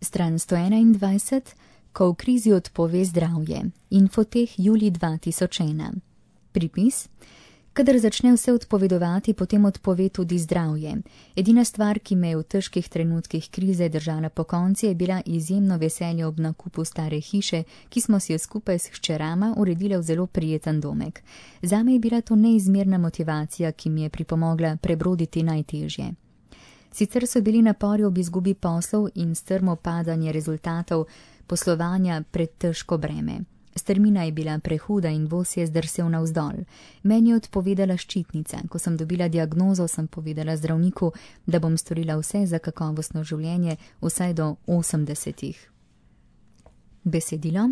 Stran 121, ko v krizi odpove zdravje. Infoteh julij 2001. Pripis. Kadar začne vse odpovedovati, potem odpove tudi zdravje. Edina stvar, ki me je v težkih trenutkih krize držala pokonci, je bila izjemno veselje ob nakupu stare hiše, ki smo si jo skupaj s hčerama uredile v zelo prijeten domek. Zame je bila to neizmerna motivacija, ki mi je pripomogla prebroditi najtežje. Sicer so bili napori ob izgubi poslov in strmo padanje rezultatov poslovanja pretežko breme. Strmina je bila prehuda in voz je zdrsel navzdol. Meni je odpovedala ščitnica. Ko sem dobila diagnozo, sem povedala zdravniku, da bom storila vse za kakovostno življenje, vsaj do 80. Besedilo.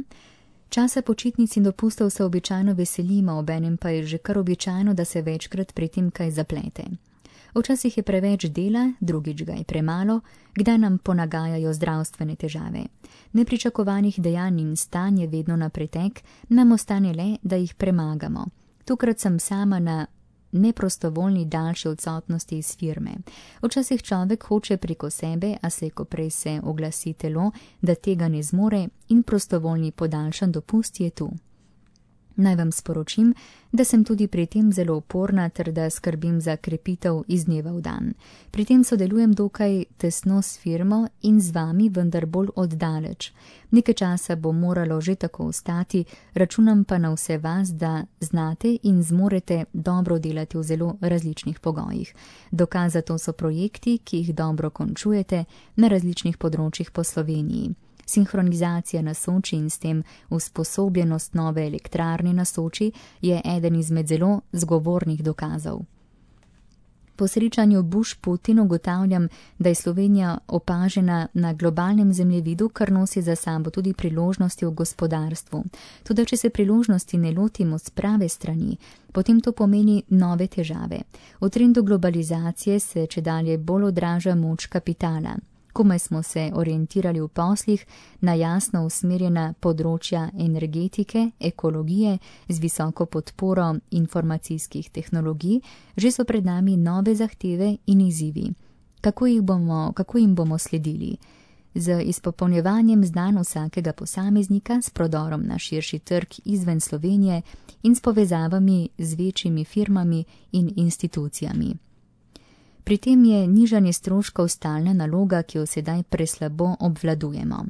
Časa počitnic in dopustov se običajno veselimo, obenem pa je že kar običajno, da se večkrat pri tem kaj zaplete. Včasih je preveč dela, drugič ga je premalo, kdaj nam ponagajajo zdravstvene težave. Nepričakovanih dejanj in stanj je vedno na pretek, nam ostane le, da jih premagamo. Tokrat sem sama na neprostovoljni daljši odsotnosti iz firme. Včasih človek hoče preko sebe, a se ko prej se oglasi telo, da tega ne zmore in prostovoljni podaljšan dopust je tu. Naj vam sporočim, da sem tudi pri tem zelo uporna ter da skrbim za krepitev iz dneva v dan. Pri tem sodelujem dokaj tesno s firmo in z vami, vendar bolj oddaleč. Nekaj časa bo moralo že tako ostati, računam pa na vse vas, da znate in zmorete dobro delati v zelo različnih pogojih. Dokaz za to so projekti, ki jih dobro končujete na različnih področjih po Sloveniji. Sinhronizacija na Soči in s tem usposobljenost nove elektrarne na Soči je eden izmed zelo zgovornih dokazov. Po srečanju Bush-Putin ugotavljam, da je Slovenija opažena na globalnem zemljevidu, kar nosi za sabo tudi priložnosti v gospodarstvu. Toda če se priložnosti ne lotimo s prave strani, potem to pomeni nove težave. V trendu globalizacije se čedalje bolj odraža moč kapitala. Komaj smo se orientirali v poslih na jasno usmerjena področja energetike, ekologije z visoko podporo informacijskih tehnologij, že so pred nami nove zahteve in izzivi. Kako jim bomo sledili? Z izpopolnjevanjem znanj vsakega posameznika, s prodorom na širši trg izven Slovenije in s povezavami z večjimi firmami in institucijami. Pri tem je nižanje stroškov stalna naloga, ki jo sedaj preslabo obvladujemo.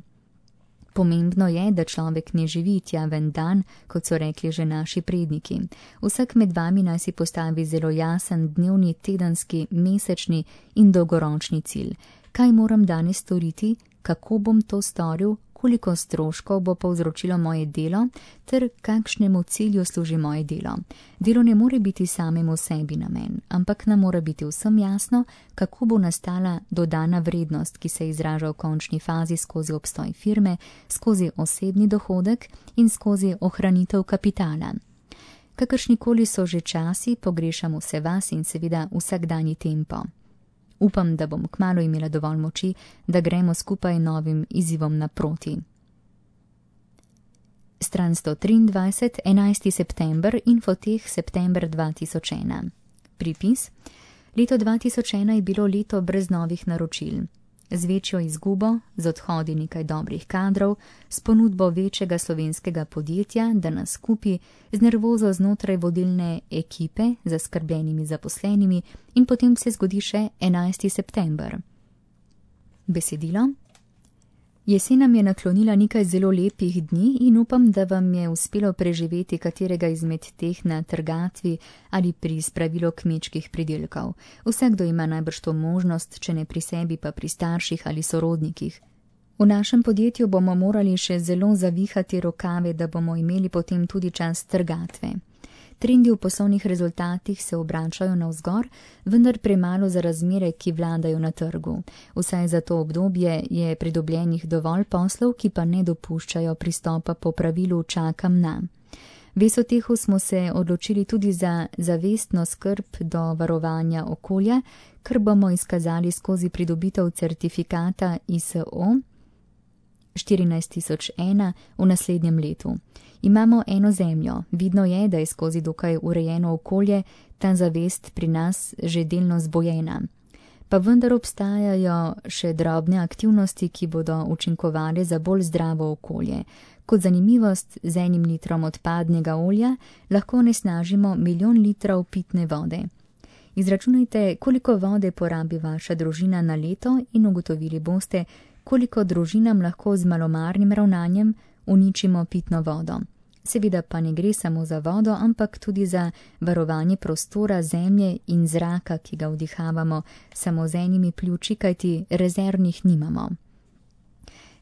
Pomembno je, da človek ne živi tjaven dan, kot so rekli že naši predniki. Vsak med vami naj si postavi zelo jasen dnevni, tedenski, mesečni in dolgoročni cilj. Kaj moram danes storiti, kako bom to storil, koliko stroškov bo povzročilo moje delo, ter kakšnemu cilju služi moje delo. Delo ne more biti samemu sebi namen, ampak nam mora biti vsem jasno, kako bo nastala dodana vrednost, ki se izraža v končni fazi skozi obstoj firme, skozi osebni dohodek in skozi ohranitev kapitala. Kakršnikoli so že časi, pogrešam vse vas in seveda vsakdanji tempo. Upam, da bom kmalu imela dovolj moči, da gremo skupaj novim izzivom naproti. Stran 123, 11. september, Infoteh, september 2001. Pripis. Leto 2001 je bilo leto brez novih naročil. Z večjo izgubo, z odhodi nekaj dobrih kadrov, s ponudbo večjega slovenskega podjetja, da nas kupi, z nervozo znotraj vodilne ekipe, zaskrbljenimi zaposlenimi in potem se zgodi še 11. september. Besedilo. Jesen nam je naklonila nekaj zelo lepih dni in upam, da vam je uspelo preživeti katerega izmed teh na trgatvi ali pri spravilu kmečkih pridelkov. Vsakdo ima najbrž to možnost, če ne pri sebi, pa pri starših ali sorodnikih. V našem podjetju bomo morali še zelo zavihati rokave, da bomo imeli potem tudi čas trgatve. Trendi v poslovnih rezultatih se obračajo navzgor, vendar premalo za razmere, ki vladajo na trgu. Vsaj za to obdobje je pridobljenih dovolj poslov, ki pa ne dopuščajo pristopa po pravilu čakam na. V Sotehu smo se odločili tudi za zavestno skrb do varovanja okolja, kar bomo izkazali skozi pridobitev certifikata ISO 14001 v naslednjem letu. Imamo eno zemljo, vidno je, da je skozi dokaj urejeno okolje ta zavest pri nas že delno zbojena. Pa vendar obstajajo še drobne aktivnosti, ki bodo učinkovale za bolj zdravo okolje. Kot zanimivost, z 1 litrom odpadnega olja lahko onesnažimo 1 milijon litrov pitne vode. Izračunajte, koliko vode porabi vaša družina na leto in ugotovili boste, koliko družinam lahko z malomarnim ravnanjem uničimo pitno vodo. Seveda pa ne gre samo za vodo, ampak tudi za varovanje prostora, zemlje in zraka, ki ga vdihavamo samo z 1 pljuči, kajti rezervnih nimamo.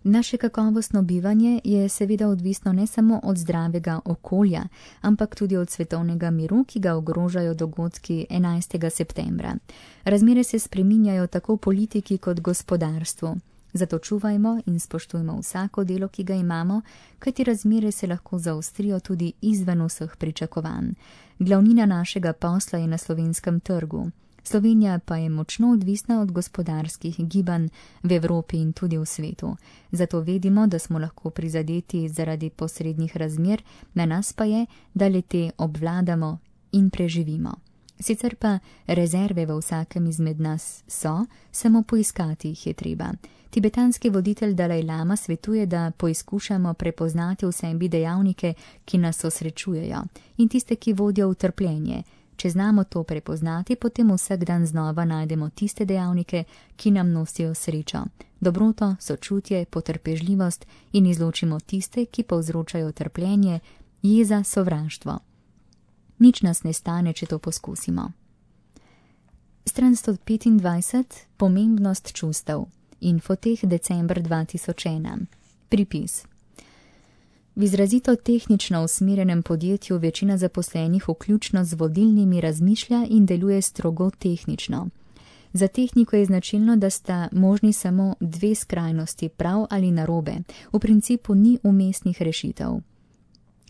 Naše kakovostno bivanje je seveda odvisno ne samo od zdravega okolja, ampak tudi od svetovnega miru, ki ga ogrožajo dogodki 11. septembra. Razmere se spreminjajo tako v politiki kot gospodarstvu. Zato čuvajmo in spoštujmo vsako delo, ki ga imamo, kajti razmere se lahko zaostrijo tudi izven vseh pričakovanj. Glavnina našega posla je na slovenskem trgu. Slovenija pa je močno odvisna od gospodarskih gibanj v Evropi in tudi v svetu. Zato vedimo, da smo lahko prizadeti zaradi posrednih razmer, na nas pa je, da le-te obvladamo in preživimo. Sicer pa rezerve v vsakem izmed nas so, samo poiskati jih je treba. Tibetanski voditelj Dalaj Lama svetuje, da poizkušamo prepoznati v sebi dejavnike, ki nas osrečujejo, in tiste, ki vodijo v trpljenje. Če znamo to prepoznati, potem vsak dan znova najdemo tiste dejavnike, ki nam nosijo srečo, dobroto, sočutje, potrpežljivost in izločimo tiste, ki povzročajo trpljenje, jeza, sovraštvo. Nič nas ne stane, če to poskusimo. Stran 125. Pomembnost čustev. Infoteh december 2001. Pripis. V izrazito tehnično usmerjenem podjetju večina zaposlenih vključno z vodilnimi razmišlja in deluje strogo tehnično. Za tehniko je značilno, da sta možni samo 2 skrajnosti, prav ali narobe. V principu ni umestnih rešitev.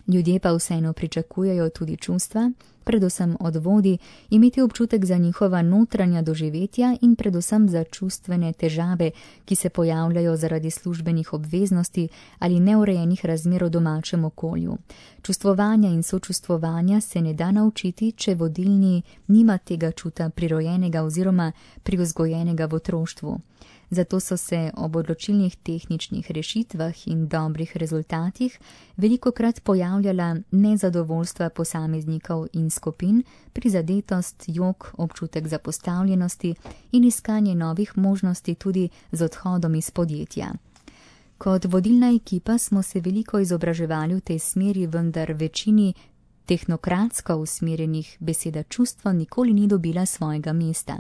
Ljudje pa vseeno pričakujejo tudi čustva, predvsem od vodij, imeti občutek za njihova notranja doživetja in predvsem za čustvene težave, ki se pojavljajo zaradi službenih obveznosti ali neurejenih razmer v domačem okolju. Čustvovanja in sočustvovanja se ne da naučiti, če vodilni nima tega čuta prirojenega oziroma privzgojenega v otroštvu. Zato so se ob odločilnih tehničnih rešitvah in dobrih rezultatih velikokrat pojavljala nezadovoljstva posameznikov in skupin, prizadetost, jok, občutek zapostavljenosti in iskanje novih možnosti tudi z odhodom iz podjetja. Kot vodilna ekipa smo se veliko izobraževali v tej smeri, vendar večini tehnokratsko usmerjenih beseda čustvo nikoli ni dobila svojega mesta.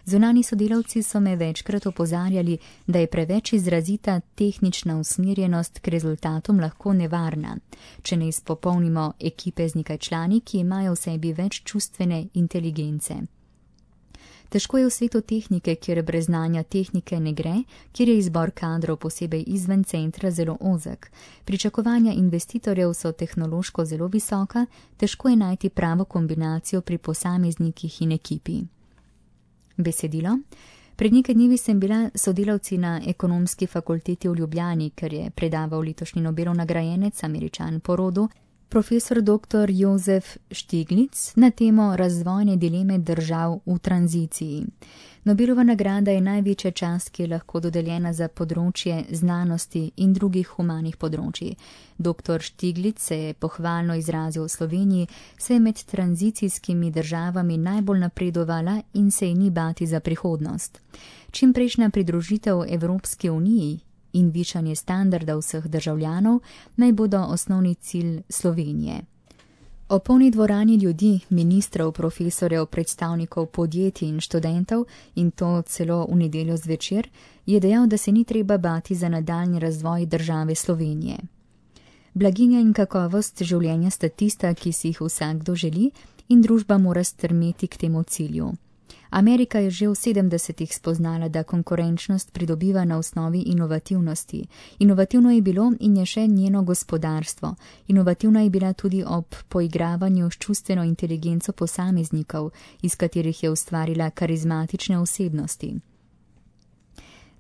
Zunani sodelavci so me večkrat opozarjali, da je preveč izrazita tehnična usmerjenost k rezultatom lahko nevarna, če ne izpopolnimo ekipe z nekaj člani, ki imajo v sebi več čustvene inteligence. Težko je v svetu tehnike, kjer brez znanja tehnike ne gre, kjer je izbor kadrov posebej izven centra zelo ozek. Pričakovanja investitorjev so tehnološko zelo visoka, težko je najti pravo kombinacijo pri posameznikih in ekipi. Besedilo. Pred nekaj dnevi sem bila sodelavci na ekonomski fakulteti v Ljubljani, ker je predaval letošnji Nobelov nagrajenec, Američan po rodu, profesor dr. Josef Stiglitz na temo razvojne dileme držav v tranziciji. Nobelova nagrada je največja čast, ki je lahko dodeljena za področje znanosti in drugih humanih področij. Dr. Stiglitz se je pohvalno izrazil v Sloveniji, se je med tranzicijskimi državami najbolj napredovala in se je ni bati za prihodnost. Čimprejšnja pridružitev Evropski uniji in višanje standarda vseh državljanov naj bodo osnovni cilj Slovenije. O polni dvorani ljudi, ministrov, profesorjev, predstavnikov podjetij in študentov, in to celo v nedeljo zvečer, je dejal, da se ni treba bati za nadaljnji razvoj države Slovenije. Blaginja in kakovost življenja sta tista, ki si jih vsakdo želi, in družba mora strmeti k temu cilju. Amerika je že v 70-ih spoznala, da konkurenčnost pridobiva na osnovi inovativnosti. Inovativno je bilo in je še njeno gospodarstvo. Inovativna je bila tudi ob poigravanju s čustveno inteligenco posameznikov, iz katerih je ustvarila karizmatične osebnosti.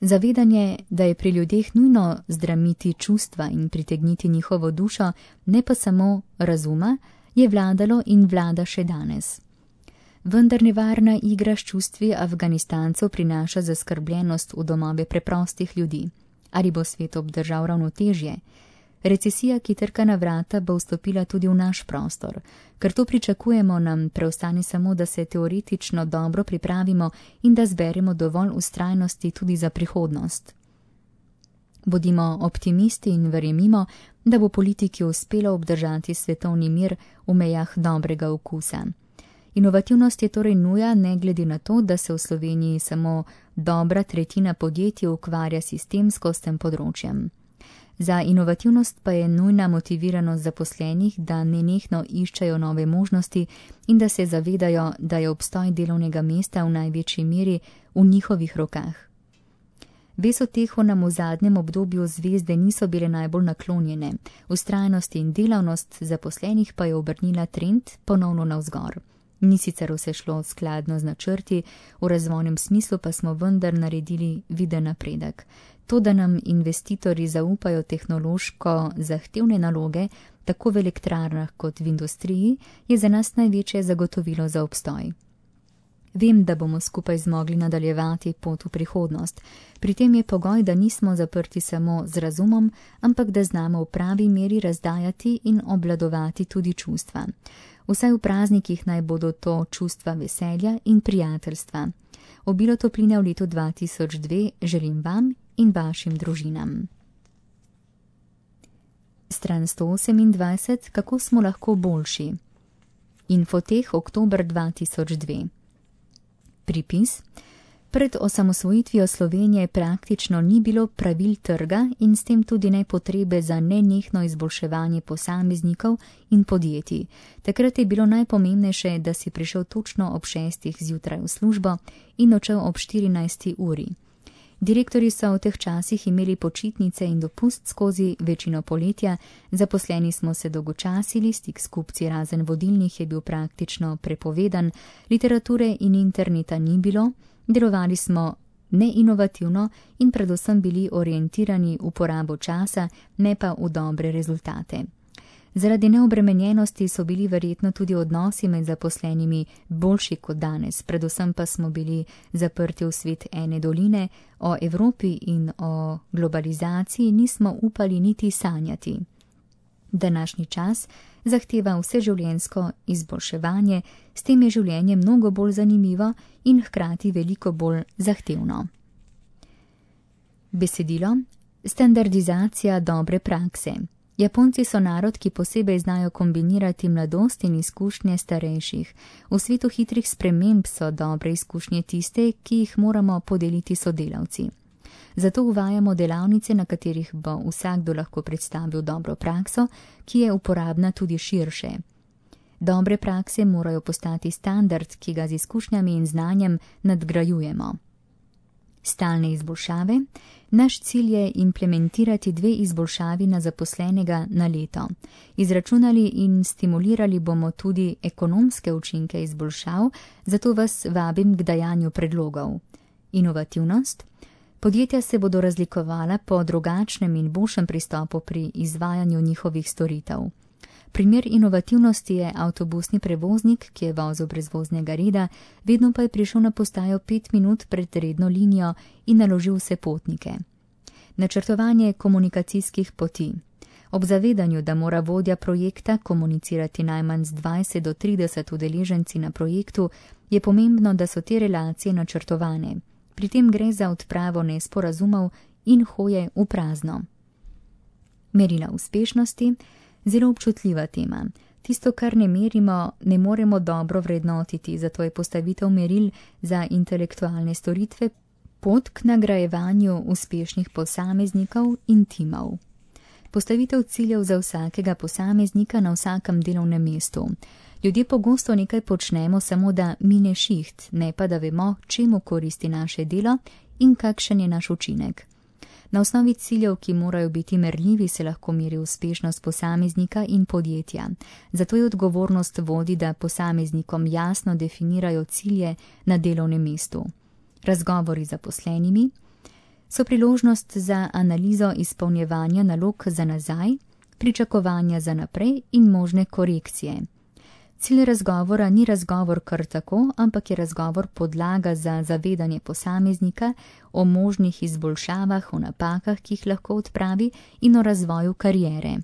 Zavedanje, da je pri ljudeh nujno zdramiti čustva in pritegniti njihovo dušo, ne pa samo razuma, je vladalo in vlada še danes. Vendar nevarna igra s čustvi Afganistancev prinaša zaskrbljenost v domove preprostih ljudi. Ali bo svet obdržal ravnotežje? Recesija, ki trka na vrata, bo vstopila tudi v naš prostor. Ker to pričakujemo, nam preostane samo, da se teoretično dobro pripravimo in da zberemo dovolj vztrajnosti tudi za prihodnost. Bodimo optimisti in verjemimo, da bo politiki uspelo obdržati svetovni mir v mejah dobrega okusa. Inovativnost je torej nuja, ne glede na to, da se v Sloveniji samo dobra tretjina podjetij ukvarja sistemsko s tem področjem. Za inovativnost pa je nujna motiviranost zaposlenih, da nenehno iščejo nove možnosti in da se zavedajo, da je obstoj delovnega mesta v največji meri v njihovih rokah. Ves uteho nam v zadnjem obdobju zvezde niso bile najbolj naklonjene, vztrajnost in delavnost zaposlenih pa je obrnila trend ponovno navzgor. Ni sicer vse šlo skladno z načrti, v razvojnem smislu pa smo vendar naredili viden napredek. To, da nam investitorji zaupajo tehnološko zahtevne naloge, tako v elektrarnah kot v industriji, je za nas največje zagotovilo za obstoj. Vem, da bomo skupaj zmogli nadaljevati pot v prihodnost. Pri tem je pogoj, da nismo zaprti samo z razumom, ampak da znamo v pravi meri razdajati in obvladovati tudi čustva. Vsaj v praznikih naj bodo to čustva veselja in prijateljstva. Obilo topline v letu 2002 želim vam in vašim družinam. Stran 128. Kako smo lahko boljši? Infoteh oktober 2002. Pripis. Pred osamosvojitvijo Slovenije praktično ni bilo pravil trga in s tem tudi ne potrebe za nenehno izboljševanje posameznikov in podjetij. Takrat je bilo najpomembnejše, da si prišel točno ob 6. zjutraj v službo in odšel ob 14. uri. Direktorji so v teh časih imeli počitnice in dopust skozi večino poletja, zaposleni smo se dolgočasili, stik s kupci razen vodilnih je bil praktično prepovedan, literature in interneta ni bilo, delovali smo neinovativno in predvsem bili orientirani v porabo časa, ne pa v dobre rezultate. Zaradi neobremenjenosti so bili verjetno tudi odnosi med zaposlenimi boljši kot danes, predvsem pa smo bili zaprti v svet ene doline, o Evropi in o globalizaciji nismo upali niti sanjati. Današnji čas zahteva vseživljenjsko izboljševanje, s tem je življenje mnogo bolj zanimivo in hkrati veliko bolj zahtevno. Besedilo. Standardizacija dobre prakse. Japonci so narod, ki posebej znajo kombinirati mladost in izkušnje starejših. V svetu hitrih sprememb so dobre izkušnje tiste, ki jih moramo podeliti sodelavci. Zato uvajamo delavnice, na katerih bo vsakdo lahko predstavil dobro prakso, ki je uporabna tudi širše. Dobre prakse morajo postati standard, ki ga z izkušnjami in znanjem nadgrajujemo. Stalne izboljšave. Naš cilj je implementirati 2 izboljšavi na zaposlenega na leto. Izračunali in stimulirali bomo tudi ekonomske učinke izboljšav, zato vas vabim k dajanju predlogov. Inovativnost. Podjetja se bodo razlikovala po drugačnem in boljšem pristopu pri izvajanju njihovih storitev. Primer inovativnosti je avtobusni prevoznik, ki je vozil brez voznega reda, vedno pa je prišel na postajo 5 minut pred redno linijo in naložil vse potnike. Načrtovanje komunikacijskih poti. Ob zavedanju, da mora vodja projekta komunicirati najmanj z 20 do 30 udeleženci na projektu, je pomembno, da so te relacije načrtovane. Pri tem gre za odpravo nesporazumov in hoje v prazno. Merila uspešnosti. Zelo občutljiva tema. Tisto, kar ne merimo, ne moremo dobro vrednotiti, zato je postavitev meril za intelektualne storitve pot k nagrajevanju uspešnih posameznikov in timov. Postavitev ciljev za vsakega posameznika na vsakem delovnem mestu. Ljudje pogosto nekaj počnemo samo, da mine šiht, ne pa da vemo, čemu koristi naše delo in kakšen je naš učinek. Na osnovi ciljev, ki morajo biti merljivi, se lahko meri uspešnost posameznika in podjetja. Zato je odgovornost vodij, da posameznikom jasno definirajo cilje na delovnem mestu. Razgovori z zaposlenimi so priložnost za analizo izpolnjevanja nalog za nazaj, pričakovanja za naprej in možne korekcije. Cilj razgovora ni razgovor kar tako, ampak je razgovor podlaga za zavedanje posameznika o možnih izboljšavah, o napakah, ki jih lahko odpravi, in o razvoju kariere.